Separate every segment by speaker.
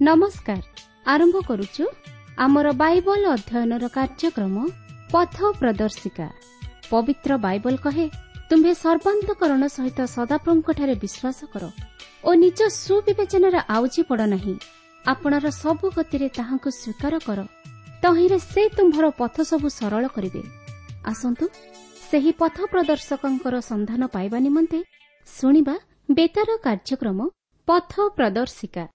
Speaker 1: ନମସ୍କାର। ଆରମ୍ଭ କରୁଛୁ ଆମର ବାଇବଲ ଅଧ୍ୟୟନର କାର୍ଯ୍ୟକ୍ରମ ପଥ ପ୍ରଦର୍ଶିକା। ପବିତ୍ର ବାଇବଲ କହେ, ତୁମ୍ଭେ ସର୍ବାନ୍ତକରଣ ସହିତ ସଦାପ୍ରଭୁଙ୍କଠାରେ ବିଶ୍ୱାସ କର ଓ ନିଜ ସୁବିବେଚନାରେ ଆଉଜି ପଡ଼ ନାହିଁ। ଆପଣାର ସବୁ ଗତିରେ ତାହାଙ୍କୁ ସ୍ୱୀକାର କର, ତହିଁରେ ସେ ତୁମ୍ଭର ପଥ ସବୁ ସରଳ କରିବେ। ଆସନ୍ତୁ ସେହି ପଥ ପ୍ରଦର୍ଶକଙ୍କର ସନ୍ଧାନ ପାଇବା ନିମନ୍ତେ ଶୁଣିବା ବେତାର କାର୍ଯ୍ୟକ୍ରମ ପଥ ପ୍ରଦର୍ଶିକା।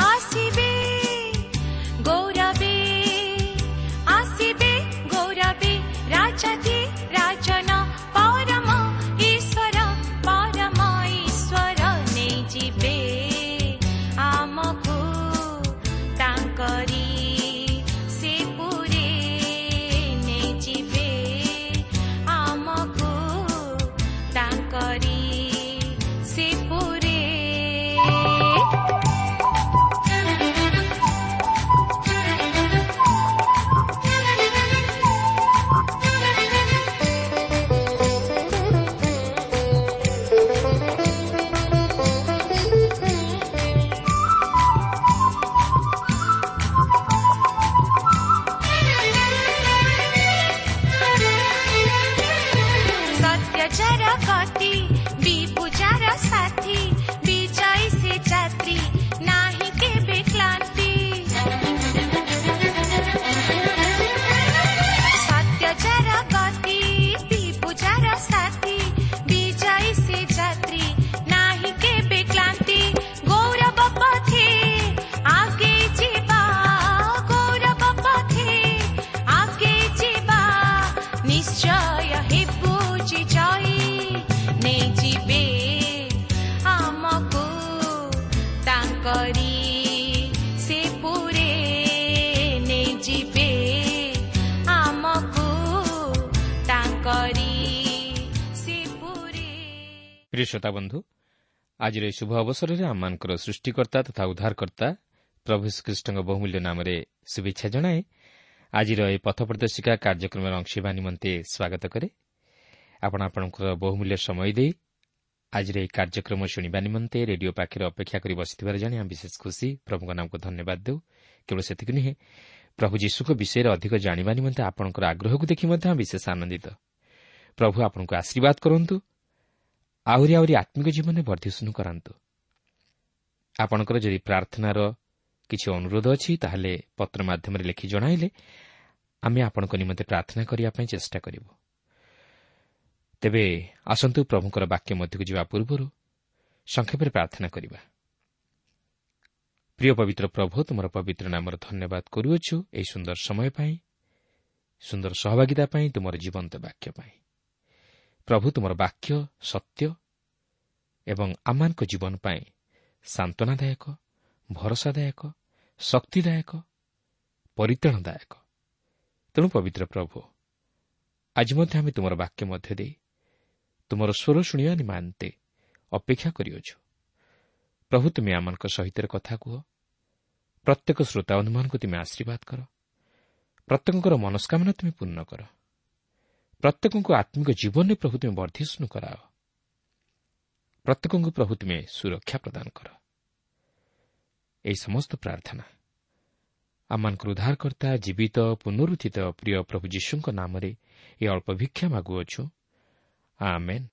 Speaker 2: ଆସିବେ ଗୌରବେ, ଆସିବେ ଗୌରବେ, ରାଜାଧି ରାଜନ ପରମ ଈଶ୍ୱର, ପରମ ଈଶ୍ୱର ନେଇଯିବେ ଆମକୁ ତାଙ୍କରି ସେ ପୁରେ, ନେଇଯିବେ ଆମକୁ ତାଙ୍କରି ସେ ପୁରେ। ସତ୍ୟଚାର ଗତି ବିଭୁଜାର ସାଥୀ, ବିଜୟୀ ସେ ଯାତ୍ରୀ ନାହିଁ କେବେ କ୍ଳାନ୍ତି। ସତ୍ୟଚାର ଗତି ବିଭୁଜାର ସାଥୀ, ବିଜୟୀ ସେ ଯାତ୍ରୀ ନାହିଁ କେବେ କ୍ଳାନ୍ତି। ଗୌରବ ପଥେ ଆଗେଇ ଯିବା, ଗୌରବ ପଥେ ଆଗେଇ ଯିବା, ନିଶ୍ଚୟ ହେବୁ ଜୟୀ। ନେଇଯିବେ ଆମକୁ ତାଙ୍କରି ସେ ପୁରେ, ନେଇଯିବେ ଆମକୁ ତାଙ୍କରି ସେ ପୁରେ।
Speaker 3: ପ୍ରିୟ ଶ୍ରୋତା ବନ୍ଧୁ, ଆଜିର ଏହି ଶୁଭ ଅବସରରେ ଆମମାନଙ୍କର ସୃଷ୍ଟିକର୍ତ୍ତା ତଥା ଉଦ୍ଧାରକର୍ତ୍ତା ପ୍ରଭୁ ଶ୍ରୀଖ୍ରୀଷ୍ଟଙ୍କ ବହୁମୂଲ୍ୟ ନାମରେ ଶୁଭେଚ୍ଛା ଜଣାଏ। ଆଜିର ଏହି ପଥ ପ୍ରଦର୍ଶିକା କାର୍ଯ୍ୟକ୍ରମର ଅଂଶ ହେବା ନିମନ୍ତେ ସ୍ୱାଗତ କରେ। ଆପଣ ଆପଣଙ୍କର ବହୁମୂଲ୍ୟ ସମୟ ଦେଇ ଆଜିର ଏହି କାର୍ଯ୍ୟକ୍ରମ ଶୁଣିବା ନିମନ୍ତେ ରେଡିଓ ପାଖରେ ଅପେକ୍ଷା କରି ବସିଥିବାର ଜାଣି ଆମେ ବିଶେଷ ଖୁସି। ପ୍ରଭୁଙ୍କ ନାମକୁ ଧନ୍ୟବାଦ ଦେଉ। କେବଳ ସେତିକି ନୁହେଁ, ପ୍ରଭୁ ଯୀଶୁଙ୍କ ବିଷୟରେ ଅଧିକ ଜାଣିବା ନିମନ୍ତେ ଆପଣଙ୍କର ଆଗ୍ରହକୁ ଦେଖି ମଧ୍ୟ ଆମେ ବିଶେଷ ଆନନ୍ଦିତ। ପ୍ରଭୁ ଆପଣଙ୍କୁ ଆଶୀର୍ବାଦ କରନ୍ତୁ, ଆହୁରି ଆହୁରି ଆତ୍ମିକ ଜୀବନରେ ବର୍ଦ୍ଧିଷ୍ଣୁ କରାନ୍ତୁ। ଆପଣଙ୍କର ଯଦି ପ୍ରାର୍ଥନାର କିଛି ଅନୁରୋଧ ଅଛି, ତାହେଲେ ପତ୍ର ମାଧ୍ୟମରେ ଲେଖି ଜଣାଇଲେ ଆମେ ଆପଣଙ୍କ ନିମନ୍ତେ ପ୍ରାର୍ଥନା କରିବା ପାଇଁ ଚେଷ୍ଟା କରିବୁ। ତେବେ ଆସନ୍ତୁ ପ୍ରଭୁଙ୍କର ବାକ୍ୟ ମଧ୍ୟକୁ ଯିବା ପୂର୍ବରୁ ସଂକ୍ଷେପରେ ପ୍ରାର୍ଥନା କରିବା। ପ୍ରିୟ ପବିତ୍ର ପ୍ରଭୁ, ତୁମର ପବିତ୍ର ନାମର ଧନ୍ୟବାଦ କରୁଅଛୁ ଏହି ସୁନ୍ଦର ସମୟ ପାଇଁ, ସୁନ୍ଦର ସହଭାଗିତା ପାଇଁ, ତୁମର ଜୀବନ୍ତ ବାକ୍ୟ ପାଇଁ। ପ୍ରଭୁ, ତୁମର ବାକ୍ୟ ସତ୍ୟ ଏବଂ ଆମମାନଙ୍କ ଜୀବନ ପାଇଁ ସାନ୍ତ୍ୱନାଦାୟକ, ଭରସାଦାୟକ, ଶକ୍ତିଦାୟକ, ପରିତ୍ରାଣଦାୟକ। ତେଣୁ ପବିତ୍ର ପ୍ରଭୁ, ଆଜି ମଧ୍ୟ ଆମେ ତୁମର ବାକ୍ୟ ମଧ୍ୟ ଦେଇ ତୁମର ସ୍ୱର ଶୁଣିବା ନିମନ୍ତେ ଅପେକ୍ଷା କରିଅଛୁ। ପ୍ରଭୁ, ତୁମେ ଆମମାନଙ୍କ ସହିତ କଥା କୁହ। ପ୍ରତ୍ୟେକ ଶ୍ରୋତାବନ୍ଧୁମାନଙ୍କୁ ତୁମେ ଆଶୀର୍ବାଦ କର। ପ୍ରତ୍ୟେକଙ୍କର ମନସ୍କାମନା ତୁମେ ପୂର୍ଣ୍ଣ କର। ପ୍ରତ୍ୟେକଙ୍କୁ ଆତ୍ମିକ ଜୀବନରେ ପ୍ରଭୁ ତୁମେ ବର୍ଦ୍ଧିଷ୍ଣୁ କରାଅ। ପ୍ରତ୍ୟେକଙ୍କୁ ପ୍ରଭୁ ତୁମେ ସୁରକ୍ଷା ପ୍ରଦାନ କର। ଏହି ସମସ୍ତ ପ୍ରାର୍ଥନା ଆମମାନଙ୍କର ଉଦ୍ଧାରକର୍ତ୍ତା ଜୀବିତ ପୁନରୁତ୍ଥିତ ପ୍ରିୟ ପ୍ରଭୁ ଯୀଶୁଙ୍କ ନାମରେ ଏ ଅଳ୍ପ ଭିକ୍ଷା ମାଗୁଅଛୁ, ଆମେନ୍।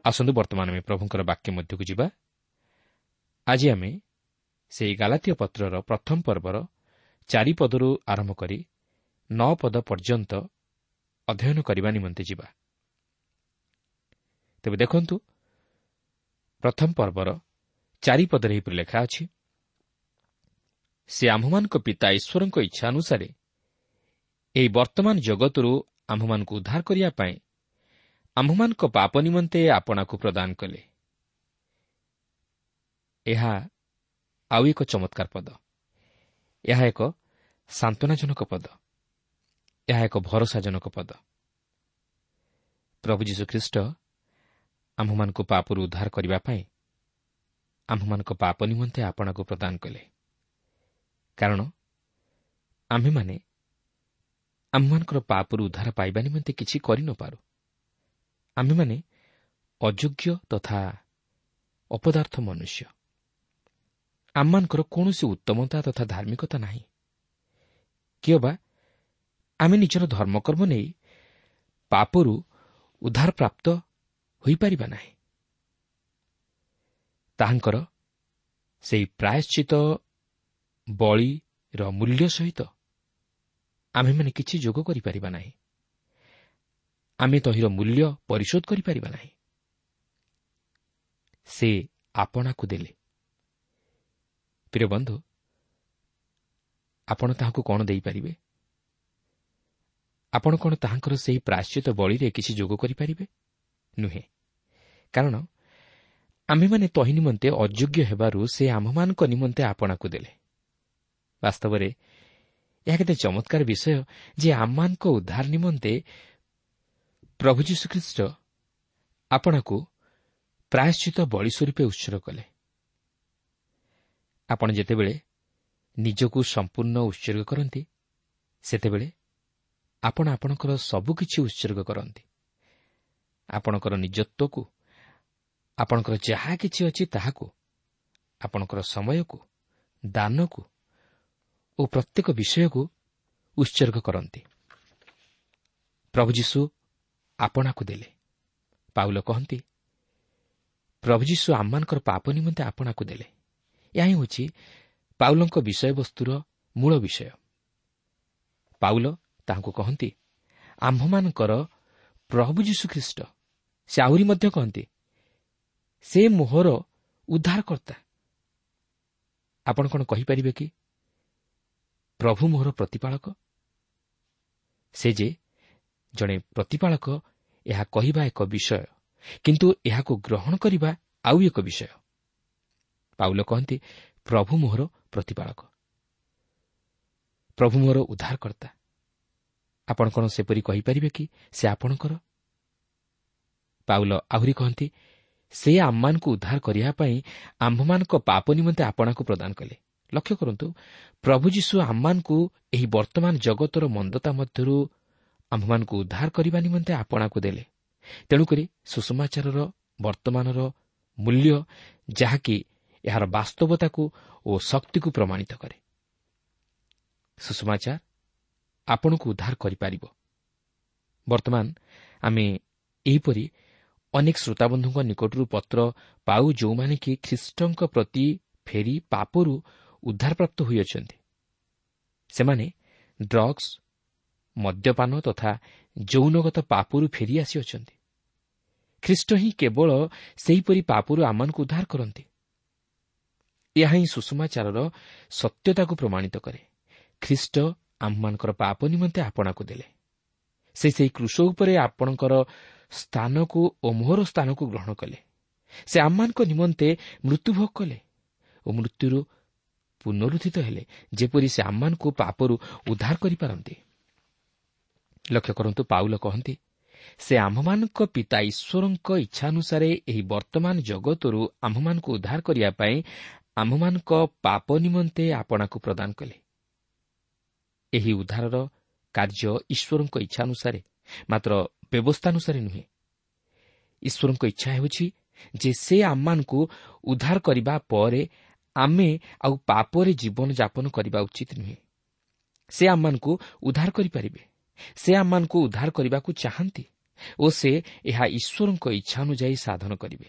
Speaker 3: ଆସନ୍ତୁ ବର୍ତ୍ତମାନ ଆମେ ପ୍ରଭୁଙ୍କର ବାକ୍ୟ ମଧ୍ୟକୁ ଯିବା। ଆଜି ଆମେ ସେହି ଗାଲାତୀୟ ପତ୍ରର ପ୍ରଥମ ପର୍ବର 4 ପଦରୁ ଆରମ୍ଭ କରି 9 ପଦ ପର୍ଯ୍ୟନ୍ତ ଅଧ୍ୟୟନ କରିବା ନିମନ୍ତେ ଯିବା। ତେବେ ଦେଖନ୍ତୁ, ପ୍ରଥମ ପର୍ବର 4 ପଦରେ ଏହିପରି ଲେଖା ଅଛି, ସେ ଆମ୍ଭମାନଙ୍କ ପିତା ଈଶ୍ୱରଙ୍କ ଇଚ୍ଛା ଅନୁସାରେ ଏହି ବର୍ତ୍ତମାନ ଜଗତରୁ ଆମ୍ଭମାନଙ୍କୁ ଉଦ୍ଧାର କରିବା ପାଇଁ ଆମ୍ଭମାନଙ୍କ ପାପ ନିମନ୍ତେ ଆପଣାକୁ ପ୍ରଦାନ କଲେ। ଏହା ଆଉ ଏକ ଚମତ୍କାର ପଦ। ଏହା ଏକ ସାନ୍ତ୍ୱନାଜନକ ପଦ। ଏହା ଏକ ଭରସାଜନକ ପଦ। ପ୍ରଭୁ ଯୀଶୁଖ୍ରୀଷ୍ଟ ଆମ୍ଭମାନଙ୍କୁ ପାପରୁ ଉଦ୍ଧାର କରିବା ପାଇଁ ଆମ୍ଭମାନଙ୍କ ପାପ ନିମନ୍ତେ ଆପଣାକୁ ପ୍ରଦାନ କଲେ, କାରଣ ଆମ୍ଭେମାନେ ଆମ୍ଭମାନଙ୍କର ପାପରୁ ଉଦ୍ଧାର ପାଇବା ନିମନ୍ତେ କିଛି କରିନପାରୁ। ଆମ୍ଭେମାନେ ଅଯୋଗ୍ୟ ତଥା ଅପଦାର୍ଥ ମନୁଷ୍ୟ। ଆମମାନଙ୍କର କୌଣସି ଉତ୍ତମତା ତଥା ଧାର୍ମିକତା ନାହିଁ, କିଅବା ଆମେ ନିଜର ଧର୍ମକର୍ମ ନେଇ ପାପରୁ ଉଦ୍ଧାରପ୍ରାପ୍ତ ହୋଇପାରିବା ନାହିଁ। ତାହାଙ୍କର ସେହି ପ୍ରାୟଶ୍ଚିତ ବଳିର ମୂଲ୍ୟ ସହିତ ଆମ୍ଭେମାନେ କିଛି ଯୋଗ କରିପାରିବା ନାହିଁ। ଆମେ ତହିଁର ମୂଲ୍ୟ ପରିଶୋଧ କରିପାରିବା ନାହିଁ। ସେ ଆପଣାକୁ ଦେଲେ। ପ୍ରିୟ ବନ୍ଧୁ, ଆପଣ ତାହାକୁ କ'ଣ ଦେଇପାରିବେ? ଆପଣ କ'ଣ ତାହାଙ୍କର ସେହି ପ୍ରାୟଶ୍ଚିତ ବଳିରେ କିଛି ଯୋଗ କରିପାରିବେ? ନୁହେଁ, କାରଣ ଆମ୍ଭେମାନେ ତହିଁ ନିମନ୍ତେ ଅଯୋଗ୍ୟ ହେବାରୁ ସେ ଆମ୍ଭମାନଙ୍କ ନିମନ୍ତେ ଆପଣାକୁ ଦେଲେ। ବାସ୍ତବରେ ଏହା କେତେ ଚମତ୍କାର ବିଷୟ ଯେ ଆମମାନଙ୍କ ଉଦ୍ଧାର ନିମନ୍ତେ ପ୍ରଭୁ ଯୀଶୁଖ୍ରୀଷ୍ଟ ଆପଣାକୁ ପ୍ରାୟଶ୍ଚିତ ବଳି ସ୍ୱରୂପେ ଉତ୍ସର୍ଗ କଲେ। ଆପଣ ଯେତେବେଳେ ନିଜକୁ ସମ୍ପୂର୍ଣ୍ଣ ଉତ୍ସର୍ଗ କରନ୍ତି, ସେତେବେଳେ ଆପଣ ଆପଣଙ୍କର ସବୁକିଛି ଉତ୍ସର୍ଗ କରନ୍ତି। ଆପଣଙ୍କର ନିଜତ୍ୱକୁ, ଆପଣଙ୍କର ଯାହା କିଛି ଅଛି ତାହାକୁ, ଆପଣଙ୍କର ସମୟକୁ, ଦାନକୁ ଓ ପ୍ରତ୍ୟେକ ବିଷୟକୁ ଉତ୍ସର୍ଗ କରନ୍ତି। ପ୍ରଭୁ ଯୀଶୁ ଆପଣାକୁ ଦେଲେ। ପାଉଲ କହନ୍ତି, ପ୍ରଭୁ ଯୀଶୁ ଆମମାନଙ୍କର ପାପ ନିମନ୍ତେ ଆପଣାକୁ ଦେଲେ। ଏହା ହେଉଛି ପାଉଲଙ୍କ ବିଷୟବସ୍ତୁର ମୂଳ ବିଷୟ। ପାଉଲ ତାହାଙ୍କୁ କହନ୍ତି, ଆମ୍ଭମାନଙ୍କର ପ୍ରଭୁ ଯୀଶୁଖ୍ରୀଷ୍ଟ। ସେ ଆହୁରି ମଧ୍ୟ କହନ୍ତି, ସେ ମୋହର ଉଦ୍ଧାରକର୍ତ୍ତା। ଆପଣ କ'ଣ କହିପାରିବେ କି ପ୍ରଭୁ ମୋହର ପ୍ରତିପାଳକ? ସେ ଯେ ଜଣେ ପ୍ରତିପାଳକ, ଏହା କହିବା ଏକ ବିଷୟ, କିନ୍ତୁ ଏହାକୁ ଗ୍ରହଣ କରିବା ଆଉ ଏକ ବିଷୟ। ପାଉଲ କହନ୍ତି, ପ୍ରଭୁ ମୋହର ପ୍ରତିପାଳକ, ପ୍ରଭୁ ମୋହର ଉଦ୍ଧାରକର୍ତ୍ତା। ଆପଣ କ'ଣ ସେପରି କହିପାରିବେ କି ସେ ଆପଣଙ୍କର? ପାଉଲ ଆହୁରି କହନ୍ତି, ସେ ଆମମାନଙ୍କୁ ଉଦ୍ଧାର କରିବା ପାଇଁ ଆମ୍ଭମାନଙ୍କ ପାପ ନିମନ୍ତେ ଆପଣାକୁ ପ୍ରଦାନ କଲେ। ଲକ୍ଷ୍ୟ କରନ୍ତୁ, ପ୍ରଭୁ ଯୀଶୁ ଆମମାନଙ୍କୁ ଏହି ବର୍ତ୍ତମାନ ଜଗତର ମନ୍ଦତା ମଧ୍ୟରୁ ଆମ୍ଭମାନଙ୍କୁ ଉଦ୍ଧାର କରିବା ନିମନ୍ତେ ଆପଣାକୁ ଦେଲେ। ତେଣୁକରି ସୁସମାଚାରର ବର୍ତ୍ତମାନର ମୂଲ୍ୟ, ଯାହାକି ଏହାର ବାସ୍ତବତାକୁ ଓ ଶକ୍ତିକୁ ପ୍ରମାଣିତ କରେ। ସୁସମାଚାର ଆପଣଙ୍କୁ ଉଦ୍ଧାର କରିପାରିବ। ବର୍ତ୍ତମାନ ଆମେ ଏହିପରି ଅନେକ ଶ୍ରୋତାବନ୍ଧୁଙ୍କ ନିକଟରୁ ପତ୍ର ପାଉ, ଯେଉଁମାନେ କି ଖ୍ରୀଷ୍ଟଙ୍କ ପ୍ରତି ଫେରି ପାପରୁ ଉଦ୍ଧାରପ୍ରାପ୍ତ ହୋଇଅଛନ୍ତି। ସେମାନେ ଡ୍ରଗ୍ସ, ମଦ୍ୟପାନ ତଥା ଯୌନଗତ ପାପରୁ ଫେରି ଆସିଅଛନ୍ତି। ଖ୍ରୀଷ୍ଟ ହିଁ କେବଳ ସେହିପରି ପାପରୁ ଆମମାନଙ୍କୁ ଉଦ୍ଧାର କରନ୍ତି। ଏହା ହିଁ ସୁସମାଚାରର ସତ୍ୟତାକୁ ପ୍ରମାଣିତ କରେ। ଖ୍ରୀଷ୍ଟ ଆମମାନଙ୍କର ପାପ ନିମନ୍ତେ ଆପଣାକୁ ଦେଲେ। ସେ ସେହି କ୍ରୁଶ ଉପରେ ଆପଣଙ୍କର ସ୍ଥାନକୁ ଓ ମୋହର ସ୍ଥାନକୁ ଗ୍ରହଣ କଲେ। ସେ ଆମମାନଙ୍କ ନିମନ୍ତେ ମୃତ୍ୟୁଭୋଗ କଲେ ଓ ମୃତ୍ୟୁରୁ ପୁନରୁତ୍ଥିତ ହେଲେ, ଯେପରି ସେ ଆମମାନଙ୍କୁ ପାପରୁ ଉଦ୍ଧାର କରିପାରନ୍ତି। ଲକ୍ଷ୍ୟ କରନ୍ତୁ, ପାଉଲ କହନ୍ତି, ସେ ଆମ୍ଭମାନଙ୍କ ପିତା ଈଶ୍ୱରଙ୍କ ଇଚ୍ଛାନୁସାରେ ଏହି ବର୍ତ୍ତମାନ ଜଗତରୁ ଆମ୍ଭମାନଙ୍କୁ ଉଦ୍ଧାର କରିବା ପାଇଁ ଆମ୍ଭମାନଙ୍କ ପାପ ନିମନ୍ତେ ଆପଣାକୁ ପ୍ରଦାନ କଲେ। ଏହି ଉଦ୍ଧାରର କାର୍ଯ୍ୟ ଈଶ୍ୱରଙ୍କ ଇଚ୍ଛାନୁସାରେ, ମାତ୍ର ବ୍ୟବସ୍ଥାନୁସାରେ ନୁହେଁ। ଈଶ୍ୱରଙ୍କ ଇଚ୍ଛା ହେଉଛି ଯେ ସେ ଆମମାନଙ୍କୁ ଉଦ୍ଧାର କରିବା ପରେ ଆମେ ଆଉ ପାପରେ ଜୀବନଯାପନ କରିବା ଉଚିତ ନୁହେଁ। ସେ ଆମମାନଙ୍କୁ ଉଦ୍ଧାର କରିପାରିବେ। ସେ ଆମମାନଙ୍କୁ ଉଦ୍ଧାର କରିବାକୁ ଚାହାନ୍ତି ଓ ସେ ଏହା ଈଶ୍ୱରଙ୍କ ଇଚ୍ଛା ଅନୁଯାୟୀ ସାଧନ କରିବେ।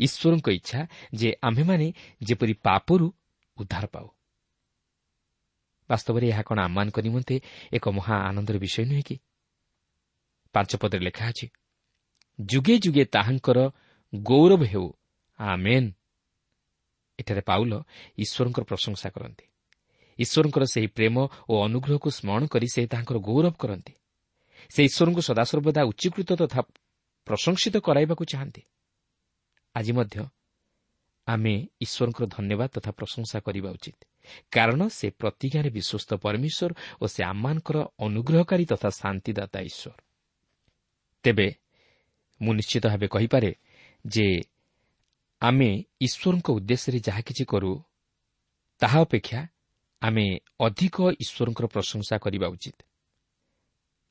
Speaker 3: ଈଶ୍ୱରଙ୍କ ଇଚ୍ଛା ଯେ ଆମ୍ଭେମାନେ ଯେପରି ପାପରୁ ଉଦ୍ଧାର ପାଉ। ବାସ୍ତବରେ ଏହା କ'ଣ ଆମମାନଙ୍କ ନିମନ୍ତେ ଏକ ମହା ଆନନ୍ଦର ବିଷୟ ନୁହେଁ କି? 5 ପଦରେ ଲେଖା ଅଛି, ଯୁଗେ ଯୁଗେ ତାହାଙ୍କର ଗୌରବ ହେଉ, ଆମେନ୍। ଏଠାରେ ପାଉଲ ଈଶ୍ୱରଙ୍କର ପ୍ରଶଂସା କରନ୍ତି। ଈଶ୍ୱରଙ୍କର ସେହି ପ୍ରେମ ଓ ଅନୁଗ୍ରହକୁ ସ୍ମରଣ କରି ସେ ତାହାଙ୍କର ଗୌରବ କରନ୍ତି। ସେ ଈଶ୍ୱରଙ୍କୁ ସଦାସର୍ବଦା ଉଚ୍ଚୀକୃତ ତଥା ପ୍ରଶଂସିତ କରାଇବାକୁ ଚାହାନ୍ତି। ଆଜି ମଧ୍ୟ ଆମେ ଈଶ୍ୱରଙ୍କର ଧନ୍ୟବାଦ ତଥା ପ୍ରଶଂସା କରିବା ଉଚିତ। କାରଣ ସେ ପ୍ରତିଜ୍ଞାରେ ବିଶ୍ୱସ୍ତ ପରମେଶ୍ୱର ଓ ସେ ଆମମାନଙ୍କର ଅନୁଗ୍ରହକାରୀ ତଥା ଶାନ୍ତିଦାତା ଈଶ୍ୱର। ତେବେ ମୁଁ ନିଶ୍ଚିତ ଭାବେ କହିପାରେ ଯେ ଆମେ ଈଶ୍ୱରଙ୍କ ଉଦ୍ଦେଶ୍ୟରେ ଯାହା କିଛି କରୁ ତାହା ଅପେକ୍ଷା ଆମେ ଅଧିକ ଈଶ୍ୱରଙ୍କର ପ୍ରଶଂସା କରିବା ଉଚିତ।